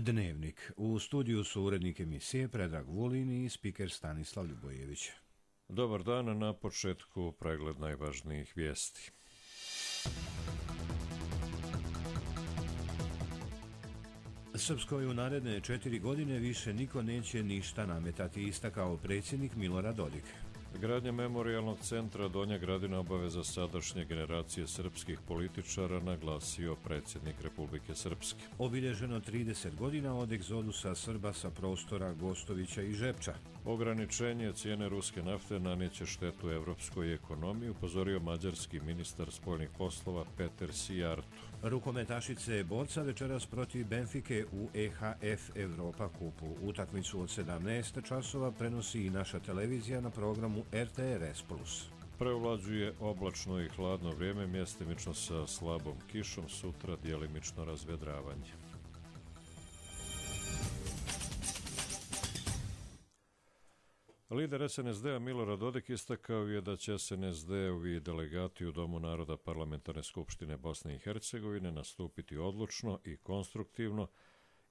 Dnevnik. U studiju su urednik emisije Predrag Vulin i spiker Stanislav Ljubojević. Dobar dan, na početku pregled najvažnijih vijesti. Srpskoj u naredne 4 godine više niko neće ništa nametati, istakao predsjednik Milorad Dodik. Gradnja memorijalnog centra Donja Gradina obaveza sadašnje generacije srpskih političara, naglasio predsjednik Republike Srpske. Obilježeno 30 godina od egzodusa Srba sa prostora Gostovića i Žepča. Ograničenje cijene ruske nafte nanijeće štetu evropskoj ekonomiji, upozorio mađarski ministar spoljnih poslova Peter Sijarto. Rukometašice borca večeras protiv Benfike u EHF Europa kupu. Utakmicu od 17 časova prenosi i naša televizija na programu RTRS+. Preovlađuje oblačno i hladno vrijeme, mjestimično sa slabom kišom, sutra djelimično razvedravanje. Lider SNSD-a Milorad Dodik istakao je da će SNSD-ovi delegati u Domu naroda Parlamentarne skupštine Bosne i Hercegovine nastupiti odlučno i konstruktivno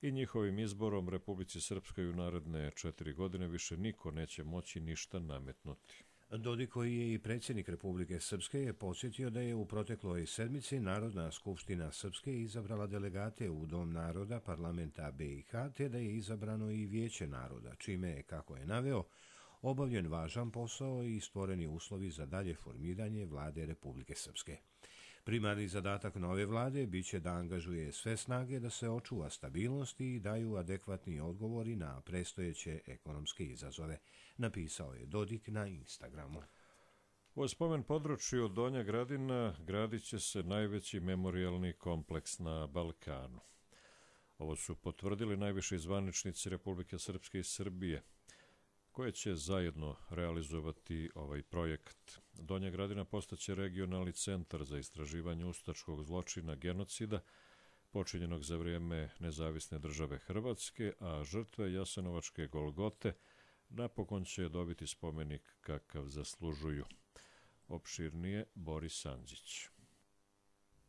i njihovim izborom Republici Srpskoj u naredne 4 godine više niko neće moći ništa nametnuti. Dodik, koji je i predsjednik Republike Srpske, je podsjetio da je u protekloj sedmici Narodna skupština Srpske izabrala delegate u Dom naroda Parlamenta BiH, te da je izabrano i Vijeće naroda, čime je, kako je naveo, obavljen važan posao i stvoreni uslovi za dalje formiranje vlade Republike Srpske. Primarni zadatak nove vlade biće da angažuje sve snage da se očuva stabilnost i daju adekvatni odgovori na predstojeće ekonomske izazove, napisao je Dodik na Instagramu. U spomen području Donja Gradina gradit će se najveći memorijalni kompleks na Balkanu. Ovo su potvrdili najviši zvaničnici Republike Srpske i Srbije, koje će zajedno realizovati ovaj projekt. Donja Gradina postaće regionalni centar za istraživanje ustaškog zločina genocida počinjenog za vrijeme nezavisne države Hrvatske, a žrtve Jasenovačke Golgote napokon će dobiti spomenik kakav zaslužuju. Opširnije Boris Andžić.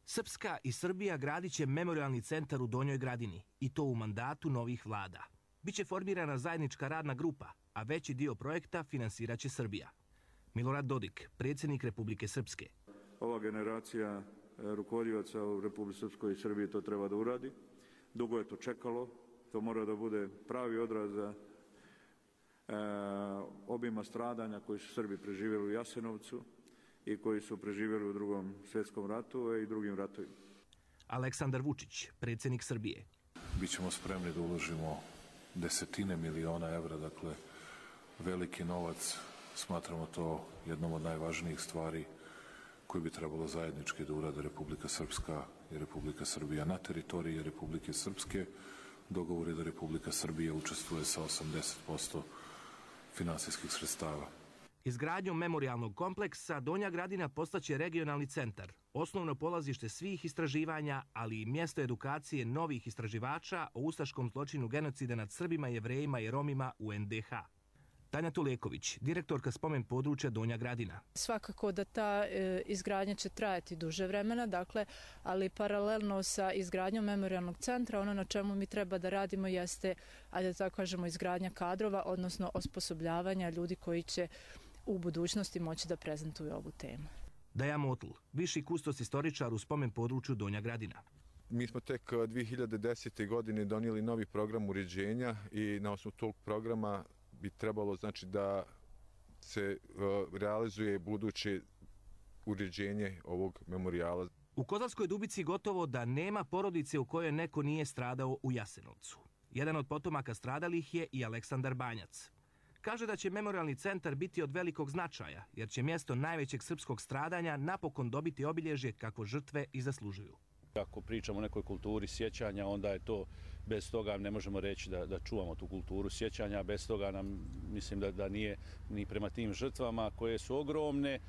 Srpska i Srbija gradit će memorijalni centar u Donjoj Gradini, i to u mandatu novih vlada. Biće formirana zajednička radna grupa, a veći dio projekta finansirat će Srbija. Milorad Dodik, predsjednik Republike Srpske. Ova generacija rukovodioca u Republike Srpskoj i Srbiji to treba da uradi. Dugo je to čekalo. To mora da bude pravi odraz obima stradanja koji su Srbi preživjeli u Jasenovcu i koji su preživjeli u Drugom svjetskom ratu i drugim ratovima. Aleksandar Vučić, predsjednik Srbije. Bićemo spremni da uložimo desetine miliona evra, dakle veliki novac. Smatramo to jednom od najvažnijih stvari koje bi trebalo zajednički da urade Republika Srpska i Republika Srbija. Na teritoriji Republike Srpske dogovor je da Republika Srbija učestvuje sa 80% finansijskih sredstava. Izgradnjom memorijalnog kompleksa Donja Gradina postaće regionalni centar, osnovno polazište svih istraživanja, ali i mjesto edukacije novih istraživača o ustaškom zločinu genocida nad Srbima, Jevrejima i Romima u NDH. Tanja Tuleković, direktorka spomen područja Donja Gradina. Svakako da ta izgradnja će trajati duže vremena, dakle, ali paralelno sa izgradnjom memorijalnog centra, ono na čemu mi treba da radimo jeste, ajde da tako kažemo, izgradnja kadrova, odnosno osposobljavanja ljudi koji će u budućnosti moći da prezentuju ovu temu. Daja Motl, viši kustos istoričar u spomen području Donja Gradina. Mi smo tek 2010. godine donijeli novi program uređenja i na osnovu tog programa bi trebalo, znači, da se realizuje buduće uređenje ovog memorijala. U Kozarskoj Dubici gotovo da nema porodice u kojoj neko nije stradao u Jasenovcu. Jedan od potomaka stradalih je i Aleksandar Banjac. Kaže da će memorijalni centar biti od velikog značaja, jer će mjesto najvećeg srpskog stradanja napokon dobiti obilježje kako žrtve i zaslužuju. Ako pričamo o nekoj kulturi sjećanja, onda je to, bez toga ne možemo reći da čuvamo tu kulturu sjećanja, bez toga nam, mislim da nije ni prema tim žrtvama koje su ogromne,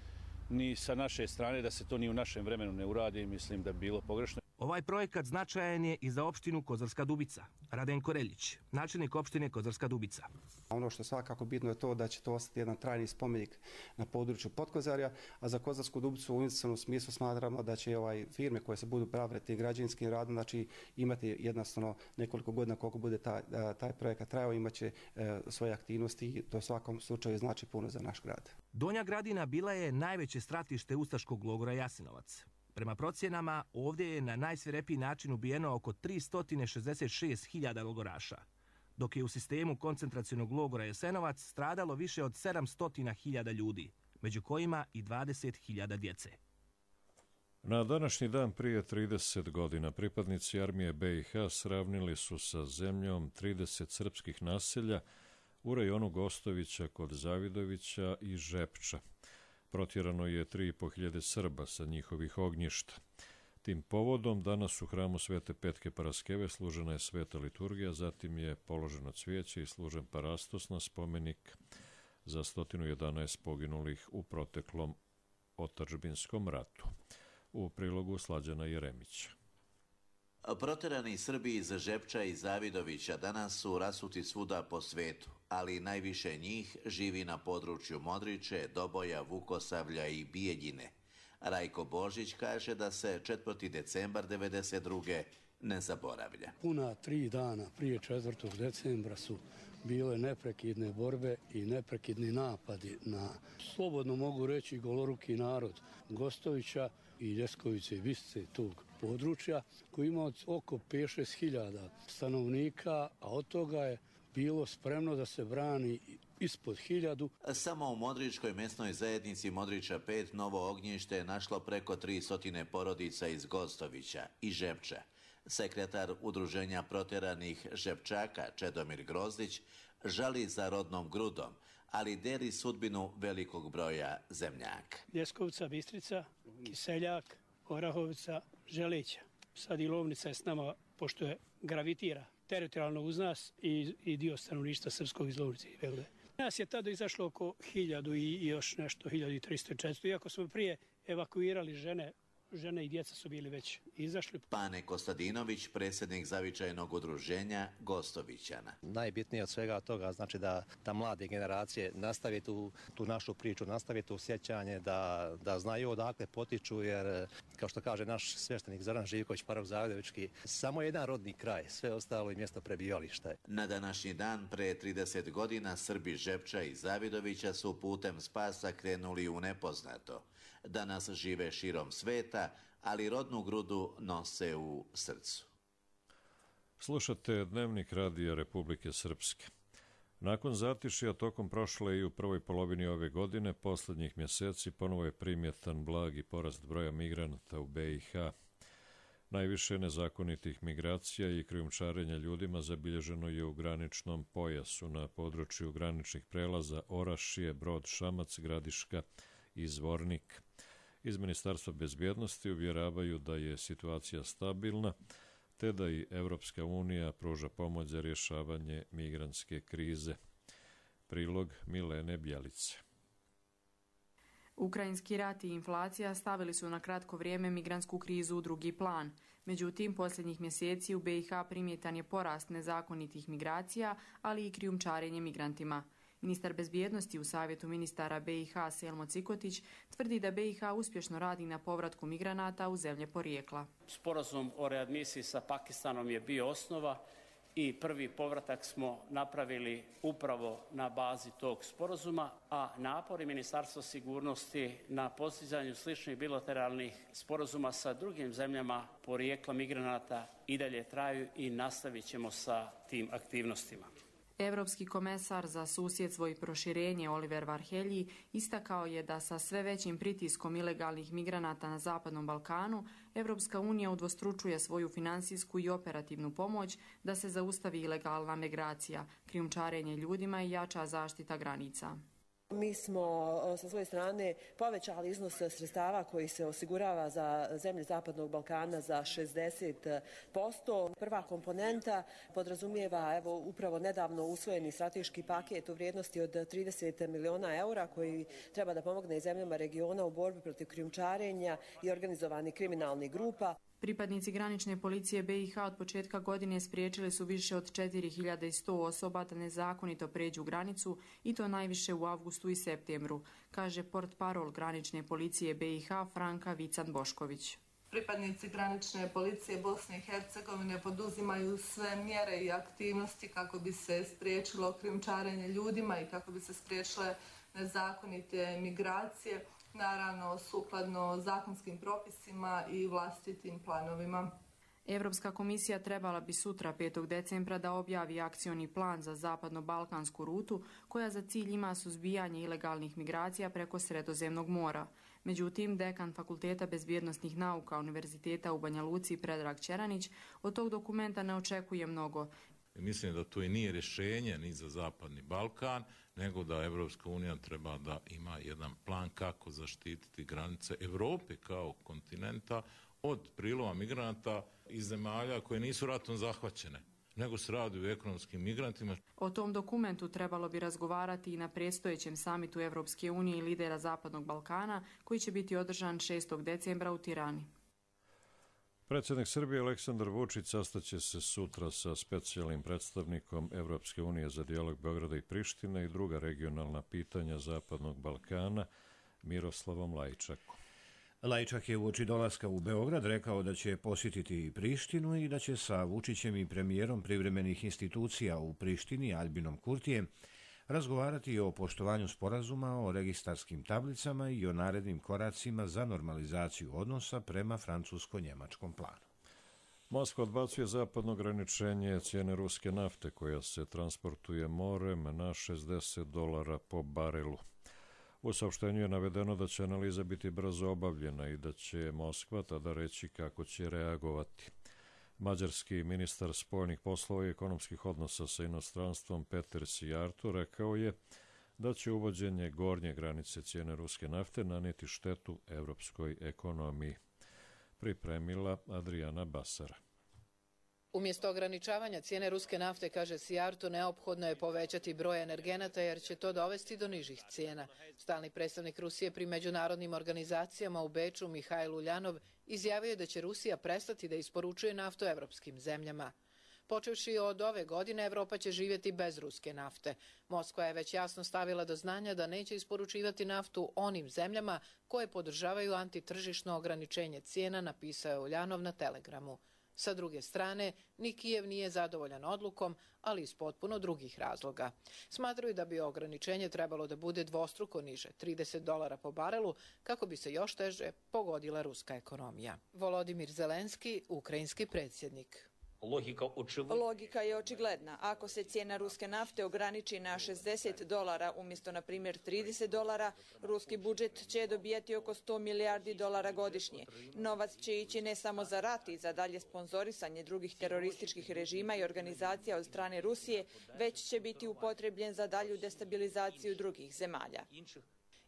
ni sa naše strane da se to ni u našem vremenu ne uradi, mislim da bi bilo pogrešno. Ovaj projekat značajan je i za opštinu Kozarska Dubica. Radenko Reljić, načelnik opštine Kozarska Dubica. Ono što svakako bitno je to da će to ostati jedan trajni spomenik na području Potkozarja, a za Kozarsku Dubicu u investicionom smislu smatramo da će firme koje se budu bavile tim građevinskim radom, znači imati jednostavno nekoliko godina koliko bude taj projekat trajao, imaće svoje aktivnosti i to u svakom slučaju znači puno za naš grad. Donja Gradina bila je najveće stratište ustaškog logora Jasenovac. Prema procjenama, ovdje je na najsvirepiji način ubijeno oko 366.000 logoraša, dok je u sistemu koncentracionog logora Jasenovac stradalo više od 700.000 ljudi, među kojima i 20.000 djece. Na današnji dan prije 30 godina pripadnici armije BiH sravnili su sa zemljom 30 srpskih naselja u rajonu Gostovića kod Zavidovića i Žepča. Protjerano je 3.500 Srba sa njihovih ognjišta. Tim povodom danas u hramu Svete Petke Paraskeve služena je sveta liturgija, zatim je položeno cvijeće i služen parastos na spomenik za 111 poginulih u proteklom otadžbinskom ratu. U prilogu Slađana Jeremića. Proterani Srbi iz Žepča i Zavidovića danas su rasuti svuda po svetu, ali najviše njih živi na području Modriče, Doboja, Vukosavlja i Bijeljine. Rajko Božić kaže da se 4. decembar 1992. ne zaboravlja. Puna 3 dana prije 4. decembra su bile neprekidne borbe i neprekidni napadi na, slobodno mogu reći, goloruki narod Gostovića i Ljeskovice i Visice tog područja, koji ima oko 5-6 hiljada stanovnika, a od toga je bilo spremno da se brani ispod 1000. Samo u Modričkoj mesnoj zajednici Modriča 5 novo ognjište je našlo preko 300 porodica iz Gostovića i Žepča. Sekretar Udruženja proteranih Žepčaka Čedomir Grozdić žali za rodnom Grudom, ali deli sudbinu velikog broja zemljaka. Ljeskovca, Bistrica, Kiseljak, Orahovica, Želeća. Sad i Lovnica je s nama, pošto je gravitira teritorijalno uz nas i dio stanovništva srpskog iz Lovnice i Begle. Nas je tada izašlo oko 1000 i još nešto, 1300-400, iako smo prije evakuirali žene i djeca su bili već izašli. Pane Kostadinović, predsjednik zavičajnog udruženja Gostovićana. Najbitnije od svega toga znači da mlade generacije nastave tu našu priču, nastave tu sjećanje, da znaju odakle potiču, jer kao što kaže naš sveštenik Zoran Živković, parok Zavidovički, samo jedan rodni kraj, sve ostalo je mjesto prebivališta. Na današnji dan pre 30 godina Srbi Žepča i Zavidovića su putem spasa krenuli u nepoznato. Danas žive širom sveta, ali rodnu grudu nose u srcu. Slušate Dnevnik Radija Republike Srpske. Nakon zatišja tokom prošle i u prvoj polovini ove godine, posljednjih mjeseci ponovo je primjetan blagi porast broja migranata u BiH. Najviše nezakonitih migracija i krijumčarenja ljudima zabilježeno je u graničnom pojasu na području graničnih prelaza Orašije, Brod, Šamac, Gradiška i Zvornik. Iz Ministarstva bezbjednosti uvjeravaju da je situacija stabilna, te da i Evropska unija pruža pomoć za rješavanje migrantske krize. Prilog Milene Bjelice. Ukrajinski rat i inflacija stavili su na kratko vrijeme migrantsku krizu u drugi plan. Međutim, posljednjih mjeseci u BiH primjetan je porast nezakonitih migracija, ali i krijumčarenje migrantima. Ministar bezbjednosti u Savjetu ministara BiH Selmo Cikotić tvrdi da BiH uspješno radi na povratku migranata u zemlje porijekla. Sporazum o readmisiji sa Pakistanom je bio osnova i prvi povratak smo napravili upravo na bazi tog sporazuma, a napori Ministarstva sigurnosti na postizanju sličnih bilateralnih sporazuma sa drugim zemljama porijekla migranata i dalje traju i nastavit ćemo sa tim aktivnostima. Evropski komesar za susjedstvo i proširenje Oliver Varhelji istakao je da sa sve većim pritiskom ilegalnih migranata na Zapadnom Balkanu, Evropska unija udvostručuje svoju finansijsku i operativnu pomoć da se zaustavi ilegalna migracija, krijumčarenje ljudima i jača zaštita granica. Mi smo sa svoje strane povećali iznos sredstava koji se osigurava za zemlje Zapadnog Balkana za 60%. Prva komponenta podrazumijeva upravo nedavno usvojeni strateški paket u vrijednosti od 30 miliona eura koji treba da pomogne zemljama regiona u borbi protiv krijumčarenja i organizovanih kriminalnih grupa. Pripadnici granične policije BiH od početka godine spriječili su više od 4100 osoba da nezakonito pređu granicu i to najviše u avgustu i septembru, kaže portparol granične policije BiH Franka Vican-Bošković. Pripadnici granične policije Bosne i Hercegovine poduzimaju sve mjere i aktivnosti kako bi se spriječilo krijumčarenje ljudima i kako bi se spriječile nezakonite migracije, naravno sukladno zakonskim propisima i vlastitim planovima. Europska komisija trebala bi sutra 5. decembra da objavi akcioni plan za zapadno-balkansku rutu koja za cilj ima suzbijanje ilegalnih migracija preko Sredozemnog mora. Međutim, dekan Fakulteta bezbjednosnih nauka Univerziteta u Banja Luci Predrag Ćeranić od tog dokumenta ne očekuje mnogo. Mislim da to i nije rješenje ni za Zapadni Balkan, nego da Evropska unija treba da ima jedan plan kako zaštititi granice Europe kao kontinenta od prilova migranata iz zemalja koje nisu ratom zahvaćene, nego se radi o ekonomskim migrantima. O tom dokumentu trebalo bi razgovarati i na predstojećem samitu Evropske unije i lidera Zapadnog Balkana, koji će biti održan 6. decembra u Tirani. Predsjednik Srbije Aleksandar Vučić sastaće se sutra sa specijalnim predstavnikom Evropske unije za dijalog Beograda i Prištine i druga regionalna pitanja Zapadnog Balkana Miroslavom Lajčakom. Lajčak je uoči dolaska u Beograd rekao da će posjetiti Prištinu i da će sa Vučićem i premijerom privremenih institucija u Prištini Albinom Kurtijem razgovarati o poštovanju sporazuma, o registarskim tablicama i o narednim koracima za normalizaciju odnosa prema francusko-njemačkom planu. Moskva odbacuje zapadno ograničenje cijene ruske nafte koja se transportuje morem na $60 po barelu. U saopštenju je navedeno da će analiza biti brzo obavljena i da će Moskva tada reći kako će reagovati. Mađarski ministar spoljnih poslova i ekonomskih odnosa sa inostranstvom Peter Sijarto rekao je da će uvođenje gornje granice cijene ruske nafte nanijeti štetu evropskoj ekonomiji. Pripremila Adriana Basara. Umjesto ograničavanja cijene ruske nafte, kaže Sijarto, neophodno je povećati broj energenata jer će to dovesti do nižih cijena. Stalni predstavnik Rusije pri međunarodnim organizacijama u Beču Mihajl Uljanov izjavio je da će Rusija prestati da isporučuje naftu evropskim zemljama. Počevši od ove godine, Evropa će živjeti bez ruske nafte. Moskva je već jasno stavila do znanja da neće isporučivati naftu onim zemljama koje podržavaju antitržišno ograničenje cijena, napisao je Uljanov na Telegramu. Sa druge strane, ni Kijev nije zadovoljan odlukom, ali iz potpuno drugih razloga. Smatraju da bi ograničenje trebalo da bude dvostruko niže, $30 po barelu, kako bi se još teže pogodila ruska ekonomija. Volodimir Zelenski, ukrajinski predsjednik. Logika je očigledna. Ako se cijena ruske nafte ograniči na $60 umjesto, na primjer, $30, ruski budžet će dobijati oko $100 milijardi godišnje. Novac će ići ne samo za rat i za dalje sponzorisanje drugih terorističkih režima i organizacija od strane Rusije, već će biti upotrebljen za dalju destabilizaciju drugih zemalja.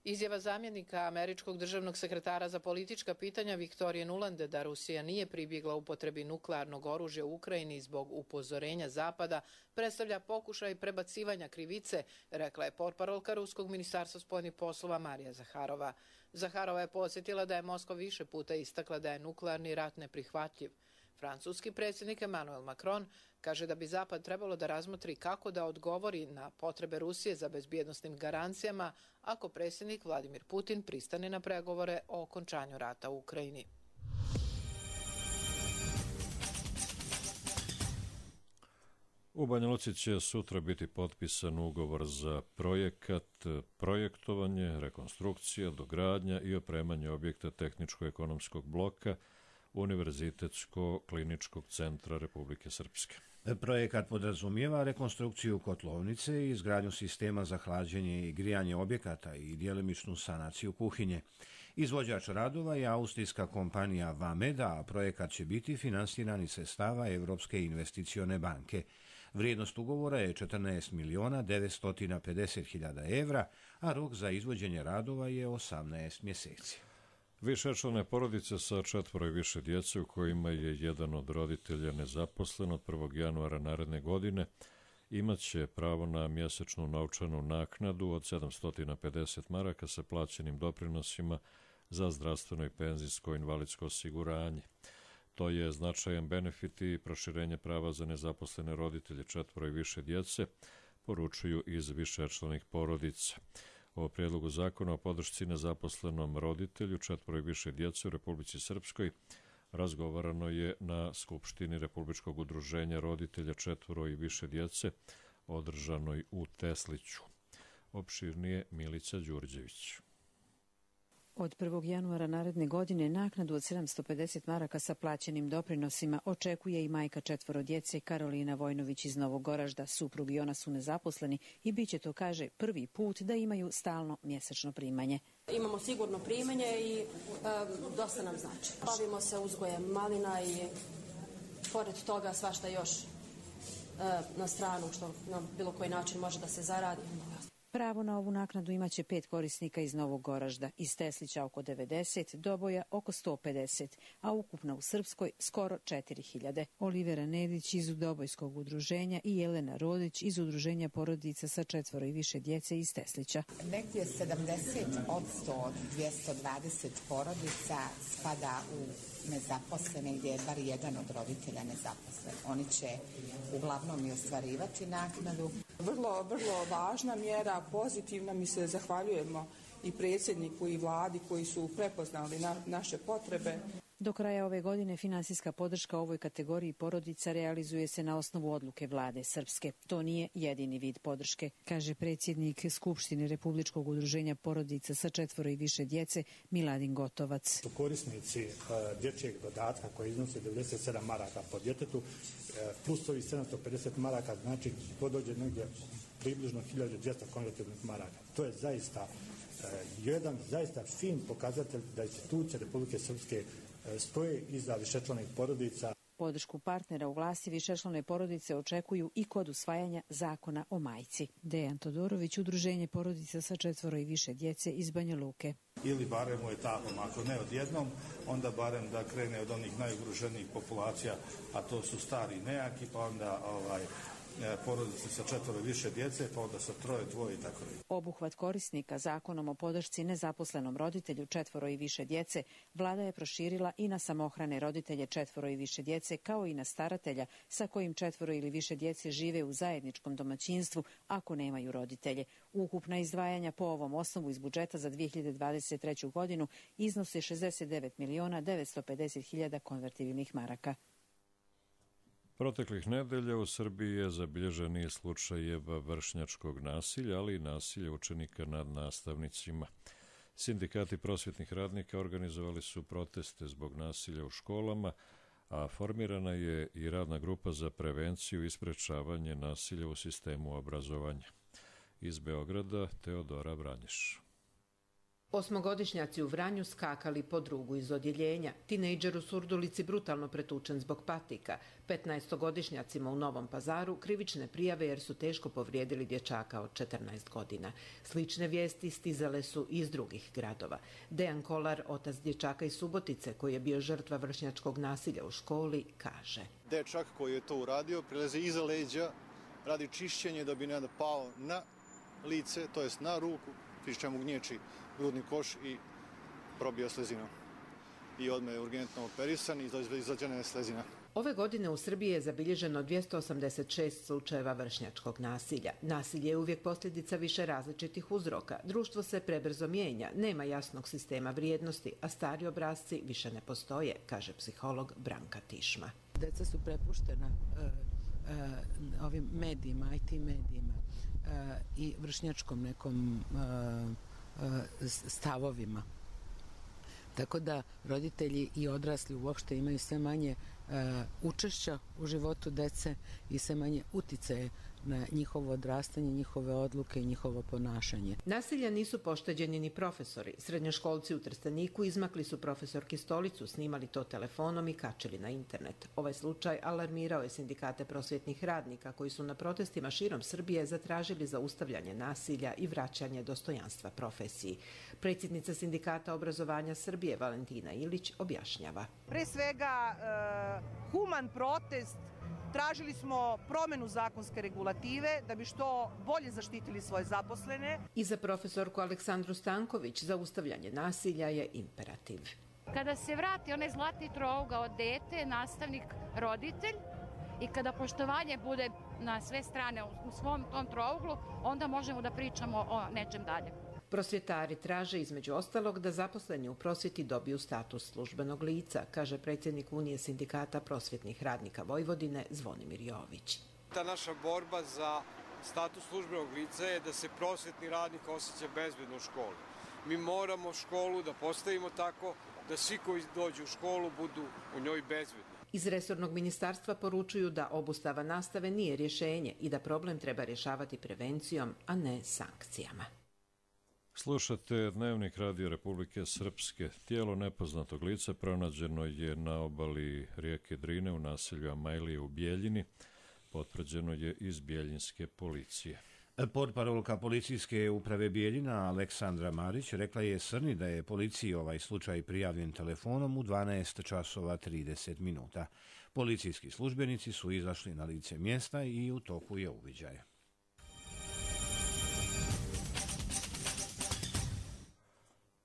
Izjava zamjenika američkog državnog sekretara za politička pitanja Viktorije Nulande da Rusija nije pribjegla upotrebi nuklearnog oružja u Ukrajini zbog upozorenja Zapada predstavlja pokušaj prebacivanja krivice, rekla je portparolka Ruskog ministarstva spoljnih poslova Marija Zaharova. Zaharova je podsjetila da je Moskva više puta istakla da je nuklearni rat neprihvatljiv. Francuski predsjednik Emmanuel Macron kaže da bi Zapad trebalo da razmotri kako da odgovori na potrebe Rusije za bezbjednosnim garancijama ako predsjednik Vladimir Putin pristane na pregovore o okončanju rata u Ukrajini. U Banja Luci će sutra biti potpisan ugovor za projektovanje, rekonstrukcija, dogradnja i opremanje objekta tehničko-ekonomskog bloka Univerzitetsko-kliničkog centra Republike Srpske. Projekat podrazumijeva rekonstrukciju kotlovnice i izgradnju sistema za hlađenje i grijanje objekata i djelimičnu sanaciju kuhinje. Izvođač radova je austrijska kompanija Vameda, a projekat će biti finansiran iz sredstava Evropske investicione banke. Vrijednost ugovora je 14.950.000 evra, a rok za izvođenje radova je 18 mjeseci. Višečlane porodice sa 4 i više djece u kojima je jedan od roditelja nezaposlen od 1. januara naredne godine imat će pravo na mjesečnu novčanu naknadu od 750 maraka sa plaćenim doprinosima za zdravstveno i penzijsko invalidsko osiguranje. To je značajan benefit i proširenje prava za nezaposlene roditelje 4 i više djece, poručuju iz višečlanih porodica. O prijedlogu zakona o podršci nezaposlenom roditelju 4 i više djece u Republici Srpskoj razgovarano je na Skupštini Republičkog udruženja roditelja 4 i više djece, održanoj u Tesliću. Opširnije Milica Đurđević. Od 1. januara naredne godine naknadu od 750 maraka sa plaćenim doprinosima očekuje i majka 4 djece Karolina Vojnović iz Novog Goražda. Suprug i ona su nezaposleni i bit će to, kaže, prvi put da imaju stalno mjesečno primanje. Imamo sigurno primanje i dosta nam znači. Bavimo se uzgojem malina i pored toga svašta još na stranu što na bilo koji način može da se zaradi. Pravo na ovu naknadu imaće 5 korisnika iz Novog Goražda, iz Teslića oko 90, Doboja oko 150, a ukupno u Srpskoj skoro 4000. Olivera Nedić iz Dobojskog udruženja i Jelena Rodić iz udruženja porodica sa 4 i više djece iz Teslića. Negdje 70% od 220 porodica spada u nezaposlene, gdje je bar jedan od roditelja nezaposlen. Oni će uglavnom i ostvarivati naknadu. Vrlo važna mjera, pozitivna, mi se zahvaljujemo i predsjedniku i vladi koji su prepoznali naše potrebe. Do kraja ove godine finansijska podrška ovoj kategoriji porodica realizuje se na osnovu odluke vlade Srpske. To nije jedini vid podrške, kaže predsjednik Skupštine Republičkog udruženja porodica sa 4 i više djece Miladin Gotovac. Korisnici dječjeg dodatka koji iznose 97 maraka po djetetu plus ovih 750 maraka, znači to dođe negdje približno 1200 konvertibilnih maraka. To je zaista jedan fin pokazatelj da institucije Republike Srpske stoje iza višečlanih porodica. Podršku partnera u vlasti višečlane porodice očekuju i kod usvajanja zakona o majci. Dejan Todorović, udruženje porodica sa 4 i više djece iz Banja Luke. Ili barem u etapama, ako ne odjednom, onda barem da krene od onih najugroženijih populacija, a to su stari nejaki, pa onda porodice sa 4 i više djece, pa onda sa 3, 2 i tako dalje. Obuhvat korisnika zakonom o podršci nezaposlenom roditelju 4 i više djece vlada je proširila i na samohrane roditelje 4 i više djece, kao i na staratelja sa kojim 4 ili više djece žive u zajedničkom domaćinstvu ako nemaju roditelje. Ukupna izdvajanja po ovom osnovu iz budžeta za 2023. godinu iznose 69.950.000 konvertibilnih maraka. Proteklih nedelja u Srbiji je zabilježen niz slučajeva vršnjačkog nasilja, ali i nasilja učenika nad nastavnicima. Sindikati prosvjetnih radnika organizovali su proteste zbog nasilja u školama, a formirana je i radna grupa za prevenciju i sprečavanje nasilja u sistemu obrazovanja. Iz Beograda Teodora Vranješ. 8-godišnjaci u Vranju skakali po drugu iz odjeljenja. Tinejdžer u Surdulici brutalno pretučen zbog patika. 15-godišnjacima u Novom Pazaru krivične prijave jer su teško povrijedili dječaka od 14 godina. Slične vijesti stizale su iz drugih gradova. Dejan Kolar, otac dječaka iz Subotice, koji je bio žrtva vršnjačkog nasilja u školi, kaže. Dečak koji je to uradio prilazi iza leđa, radi čišćenje da bi ne pao na lice, to jest na ruku, pri čemu gnječi grudni koš i probio slezinu. I odmah je urgentno operisan i izvađena je slezina. Ove godine u Srbiji je zabilježeno 286 slučajeva vršnjačkog nasilja. Nasilje je uvijek posljedica više različitih uzroka. Društvo se prebrzo mijenja, nema jasnog sistema vrijednosti, a stari obrasci više ne postoje, kaže psiholog Branka Tišma. Deca su prepuštena ovim medijima, IT medijima i vršnjačkom nekom stavovima. Tako da roditelji i odrasli uopšte imaju sve manje učešća u životu dece i sve manje uticaje na njihovo odrastanje, njihove odluke i njihovo ponašanje. Nasilja nisu pošteđeni ni profesori. Srednjoškolci u Trsteniku izmakli su profesorki stolicu, snimali to telefonom i kačili na internet. Ovaj slučaj alarmirao je sindikate prosvjetnih radnika koji su na protestima širom Srbije zatražili zaustavljanje nasilja i vraćanje dostojanstva profesiji. Predsjednica Sindikata obrazovanja Srbije Valentina Ilić objašnjava. Pre svega human protest. Tražili smo promjenu zakonske regulative da bi što bolje zaštitili svoje zaposlene. I za profesorku Aleksandru Stanković zaustavljanje nasilja je imperativ. Kada se vrati onaj zlatni trougao dete, nastavnik, roditelj, i kada poštovanje bude na sve strane u svom tom trouglu, onda možemo da pričamo o nečem dalje. Prosvjetari traže između ostalog da zaposleni u prosvjeti dobiju status službenog lica, kaže predsjednik Unije sindikata prosvjetnih radnika Vojvodine Zvonimir Jović. Ta naša borba za status službenog lica je da se prosvjetni radnik osjeća bezbedno u školi. Mi moramo školu da postavimo tako da svi koji dođu u školu budu u njoj bezbedni. Iz resornog ministarstva poručuju da obustava nastave nije rješenje i da problem treba rješavati prevencijom, a ne sankcijama. Slušate Dnevnik Radio Republike Srpske. Tijelo nepoznatog lica pronađeno je na obali rijeke Drine u naselju Amajlije u Bijeljini. Potvrđeno je iz bijeljinske policije. Portparolka policijske uprave Bijeljina Aleksandra Marić rekla je Srni da je policiji ovaj slučaj prijavljen telefonom u 12 časova 30 minuta. Policijski službenici su izašli na lice mjesta i u toku je uviđaj.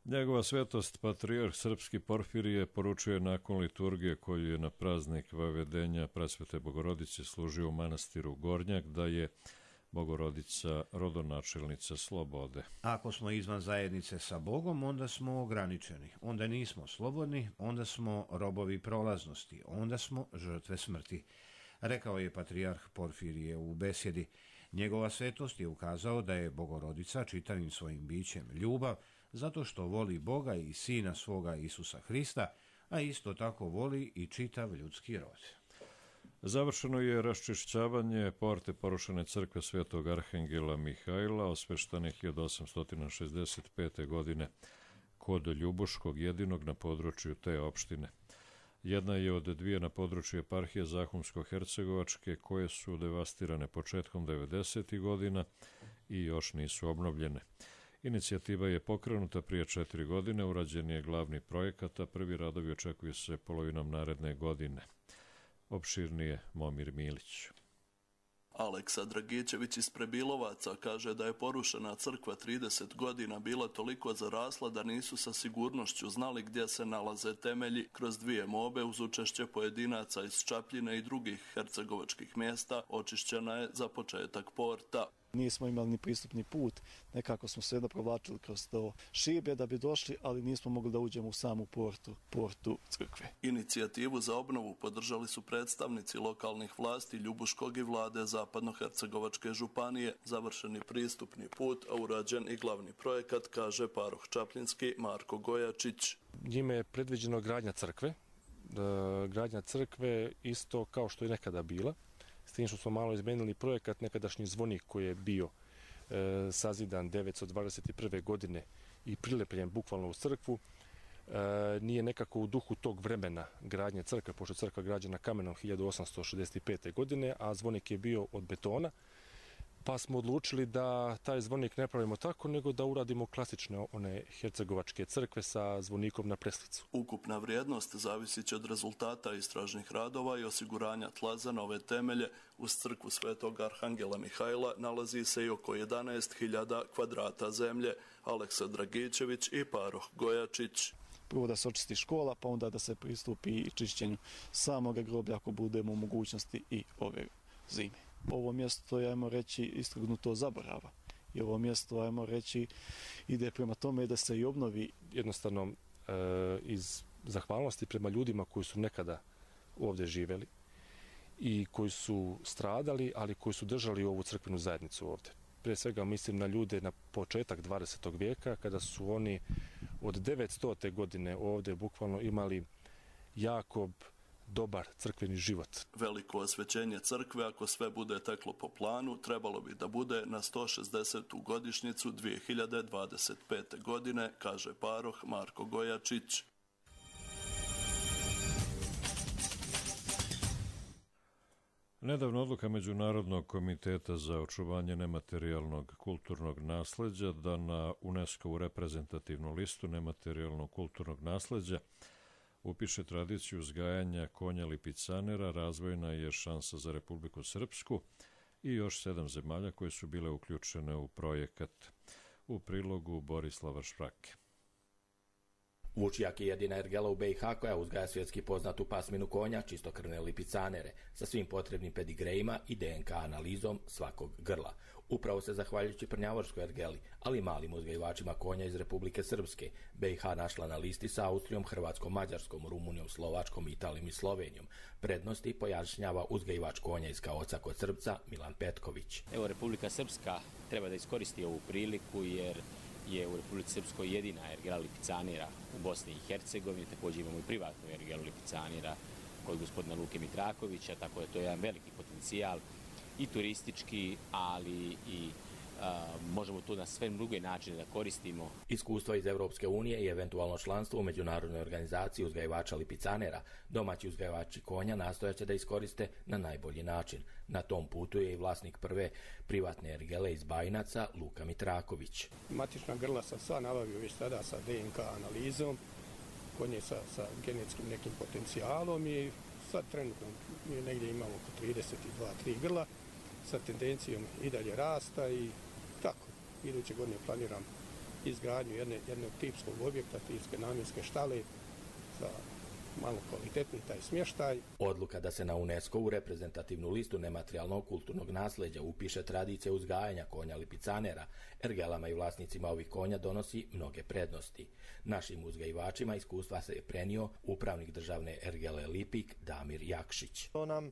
Njegova svetost, patrijarh srpski Porfirije, poručuje nakon liturgije koju je na praznik Vavedenja Presvete Bogorodice služio u manastiru Gornjak da je Bogorodica rodonačelnica slobode. Ako smo izvan zajednice sa Bogom, onda smo ograničeni, onda nismo slobodni, onda smo robovi prolaznosti, onda smo žrtve smrti, rekao je patrijarh Porfirije u besjedi. Njegova svetost je ukazao da je Bogorodica čitavim svojim bićem ljubav, zato što voli Boga i Sina svoga Isusa Hrista, a isto tako voli i čitav ljudski rod. Završeno je raščišćavanje porte porušene crkve Svetog Arhangela Mihajla, osveštane 1865. godine kod Ljubuškog, jedinog na području te opštine. Jedna je od dvije na području eparhije Zahumsko-Hercegovačke, koje su devastirane početkom 90. godina i još nisu obnovljene. Inicijativa je pokrenuta prije 4 godine, urađen je glavni projekat, a prvi radovi očekuju se polovinom naredne godine. Opširnije Momir Milić. Aleksa Dragićević iz Prebilovaca kaže da je porušena crkva 30 godina bila toliko zarasla da nisu sa sigurnošću znali gdje se nalaze temelji. Kroz 2 mobe uz učešće pojedinaca iz Čapljine i drugih hercegovačkih mjesta očišćena je za početak porta. Nismo imali ni pristupni put, nekako smo sve provlačili kroz to šibe da bi došli, ali nismo mogli da uđemo u samu portu crkve. Inicijativu za obnovu podržali su predstavnici lokalnih vlasti Ljubuškog i vlade Zapadno-Hercegovačke županije. Završeni pristupni put, a urađen i glavni projekat, kaže paroh Čapljinski Marko Gojačić. Njime je predviđeno gradnja crkve isto kao što je nekada bila. S tim što smo malo izmenili projekat, nekadašnji zvonik koji je bio sazidan 921. godine i prilepljen bukvalno u crkvu, nije nekako u duhu tog vremena gradnje crkve, pošto je crkva građena kamenom 1865. godine, a zvonik je bio od betona, pa smo odlučili da taj zvonik ne pravimo tako, nego da uradimo klasične one hercegovačke crkve sa zvonikom na preslicu. Ukupna vrijednost zavisit će od rezultata istražnih radova i osiguranja tla za nove temelje. Uz crkvu Svetog Arhangela Mihajla nalazi se i oko 11.000 kvadrata zemlje. Aleksa Dragićević i paroh Gojačić. Prvo da se očisti škola, pa onda da se pristupi i čišćenju samoga groblja ako budemo u mogućnosti i ove zime. Ovo mjesto je, ajmo reći, istrgnuto zaborava. I ovo mjesto, ajmo reći, ide prema tome da se i obnovi. Jednostavno, iz zahvalnosti prema ljudima koji su nekada ovdje živjeli i koji su stradali, ali koji su držali ovu crkvenu zajednicu ovdje. Prije svega mislim na ljude na početak 20. vijeka, kada su oni od 900. godine ovdje bukvalno imali jako dobar crkveni život. Veliko osvećenje crkve, ako sve bude teklo po planu, trebalo bi da bude na 160. godišnjicu 2025. godine, kaže paroh Marko Gojačić. Nedavno odluka Međunarodnog komiteta za očuvanje nematerijalnog kulturnog nasleđa da na UNESCO-vu reprezentativnu listu nematerijalnog kulturnog nasleđa upiše tradiciju uzgajanja konja lipicanera, razvojna je šansa za Republiku Srpsku i još 7 zemalja koje su bile uključene u projekat. U prilogu Borislava Šprake. Vučijak je jedina ergela u BiH koja uzgaja svjetski poznatu pasminu konja, čistokrvne lipicanere, sa svim potrebnim pedigrejima i DNK analizom svakog grla. Upravo se zahvaljujući prnjavorskoj ergeli, ali i malim uzgajivačima konja iz Republike Srpske, BiH našla na listi sa Austrijom, Hrvatskom, Mađarskom, Rumunijom, Slovačkom, Italijom i Slovenijom. Prednosti pojašnjava uzgajivač konja iz Kaoca kod Srpca Milan Petković. Evo, Republika Srpska treba da iskoristi ovu priliku jer je u Republici Srpskoj jedina ergela lipicanera u Bosni i Hercegovini. Također imamo i privatnu ergelu lipicanera kod gospodina Luke Mitrakovića, tako da to je jedan veliki potencijal i turistički, ali i možemo to na sve druge načine da koristimo. Iskustva iz Europske unije i eventualno članstvo u međunarodnoj organizaciji uzgajivača lipicanera, domaći uzgajivači konja nastojaće da iskoriste na najbolji način. Na tom putu je i vlasnik prve privatne ergele iz Bajinaca, Luka Mitraković. Matična grla sam sva nabavio već tada sa DNK analizom, konje sa genetskim nekim potencijalom i sad trenutno mi negdje imamo oko 32-3 grla sa tendencijom i dalje rasta i tako. Iduće godine planiram izgradnju jednog tipskog objekta, tipske namjenske štale za malo kvalitetniji taj smještaj. Odluka da se na UNESCO-u reprezentativnu listu nematerijalnog kulturnog nasljeđa upiše tradicija uzgajanja konja lipicanera, ergelama i vlasnicima ovih konja donosi mnoge prednosti. Našim uzgajivačima iskustva se je prenio upravnik državne ergele Lipik Damir Jakšić. To nam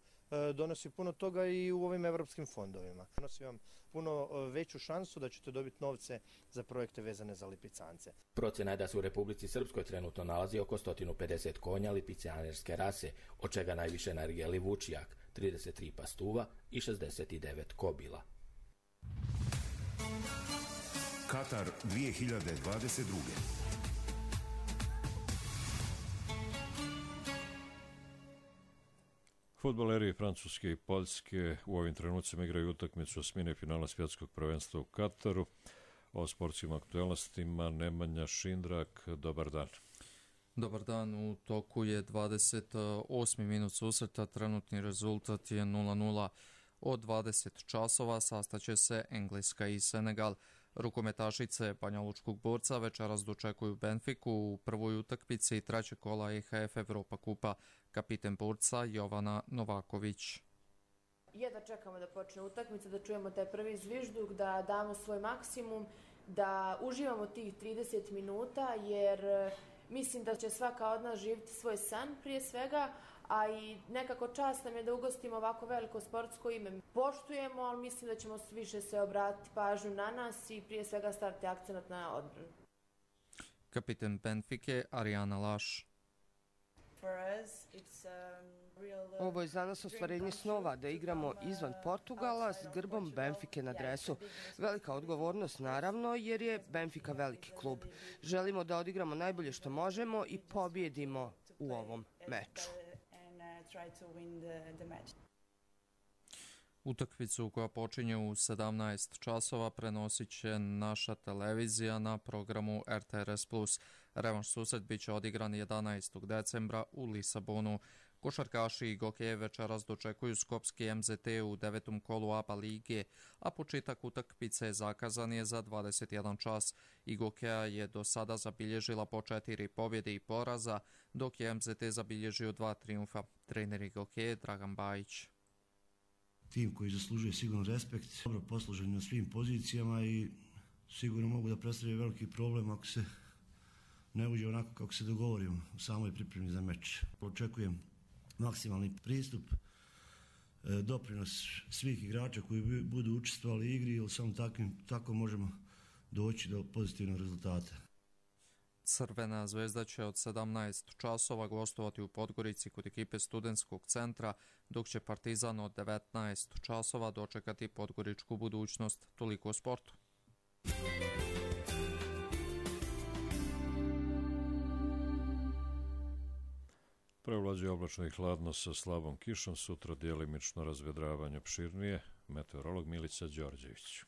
donosi puno toga i u ovim evropskim fondovima. Donosi vam puno veću šansu da ćete dobiti novce za projekte vezane za lipicance. Procjena je da se u Republici Srpskoj trenutno nalazi oko 150 konja lipicanerske rase, od čega najviše na ergeli Vučijak, 33 pastuva i 69 kobila. Katar 2022. Fudbaleri Francuske i Poljske u ovim trenucima igraju utakmicu osmine finala svjetskog prvenstva u Kataru. O sportskim aktualnostima Nemanja Šindrak, dobar dan. Dobar dan, u toku je 28. minut susreta, trenutni rezultat je 0:0. Od 20 časova sastaće se Engleska i Senegal. Rukometašice Banjalučkog borca večeras dočekuju Benfiku u prvoj utakmici trećeg kola EHF Evropa kupa. Kapiten borca Jovana Novaković. Jedva čekamo da počne utakmica, da čujemo taj prvi zvižduk, da damo svoj maksimum, da uživamo tih 30 minuta, jer mislim da će svaka od nas živjeti svoj san prije svega, a i nekako čast nam je da ugostimo ovako veliko sportsko ime. Poštujemo, ali mislim da ćemo više se obratiti pažnju na nas i prije svega staviti akcenat na odbranu. Kapiten Benfike Arijana Laš. Ovo je za nas ostvarenje snova da igramo izvan Portugala s grbom Benfike na dresu. Velika odgovornost naravno jer je Benfica veliki klub. Želimo da odigramo najbolje što možemo i pobjedimo u ovom meču. Utakmicu koja počinje u 17 časova prenosit će naša televizija na programu RTRS+. Revanš susret bit će odigran 11. decembra u Lisabonu. Košarkaši i Gokeje večeras dočekuju Skopski MZT u 9. kolu ABA lige, a početak utakmice zakazan je za 21 čas. I Gokeja je do sada zabilježila po 4 pobjede i poraza, dok je MZT zabilježio 2 triumfa. Trener Gokeje Dragan Bajić. Tim koji zaslužuje sigurno respekt, dobro poslužen na svim pozicijama i sigurno mogu da predstavljaju veliki problem ako se ne uđe onako kako se dogovorimo u samoj pripremi za meč. Očekujem maksimalni pristup, doprinos svih igrača koji budu učestvovali u igri, jer samo tako možemo doći do pozitivnog rezultata. Crvena zvezda će od 17 časova gostovati u Podgorici kod ekipe Studentskog centra, dok će Partizan od 19 časova dočekati podgoričku budućnost. Toliko o sportu. Prevlađuje oblačno i hladno sa slabom kišom, sutra djelimično razvedravanje opširnije. Meteorolog Milica Đorđević.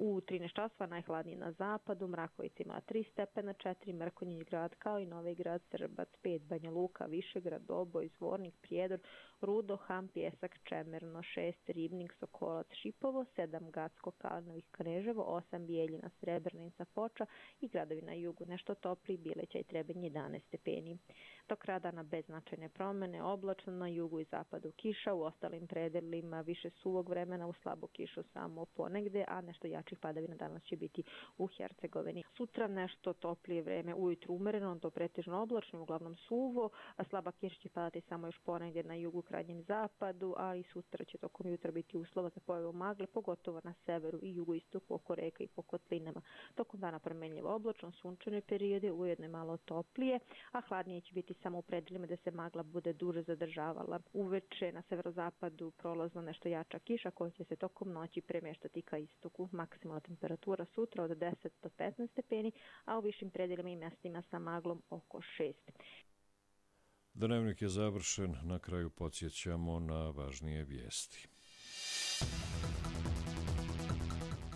U 13 časova najhladnije na zapadu, Mrakovica ima 3 stepena, 4 Mrkonjić Grad kao i Novi Grad, Srbac 5, Banja Luka, Višegrad, Doboj, Zvornik, Prijedor, Rudo, Ham, Pjesak, Čemerno, 6 Ribnik, Sokolac, Šipovo, 7 Gacko, Kalanović, Kneževo, 8 Bijeljina, Srebrnica, Foča i gradovi na jugu nešto topli, Bileća i Trebinj 11 stepeni. Tok dana bez značajne promene, oblačno na jugu i zapadu kiša, u ostalim predelima više suvog vremena, u slabu kišu samo ponegde, a nešto jačih padavina danas će biti u Hercegovini. Sutra nešto toplije vreme, ujutru umereno, do pretežno oblačno, uglavnom suvo, a slaba kiša će padati samo još ponegde na jugu, krajnjem zapadu, ali sutra će tokom jutra biti uslova za pojavu magle, pogotovo na severu i jugoistoku oko reka i po kotlinama. Tokom dana promenljivo oblačno, sunčane periode, ujedno je malo toplije, a hladnije će biti samo u predelima da se magla bude duže zadržavala. Uveče na severozapadu prolazno nešto jača kiša koja će se tokom noći premeštati ka istoku. Maksimalna temperatura sutra od 10 do 15 stepeni, a u višim predelima i mjestima sa maglom oko 6. Dnevnik je završen, na kraju podsjećamo na važnije vijesti.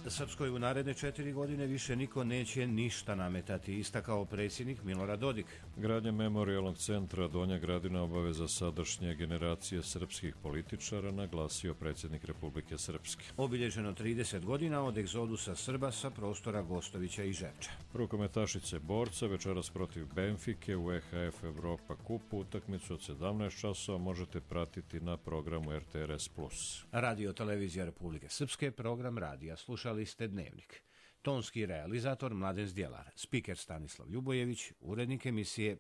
Srpskoj u naredne 4 godine više niko neće ništa nametati, istakao predsjednik Milorad Dodik. Gradnja memorijalnog centra Donja Gradina obaveza sadašnje generacije srpskih političara, naglasio predsjednik Republike Srpske. Obilježeno 30 godina od egzodusa Srba sa prostora Gostovića i Žepča. Rukometašice borca večeras protiv Benfike u EHF Evropa kupu. Utakmicu od 17 časova možete pratiti na programu RTRS+. Radio Televizija Republike Srpske, program radija. Slušali ste Dnevnik. Tonski realizator Mladen Zdjelar, spiker Stanislav Ljubojević, urednik emisije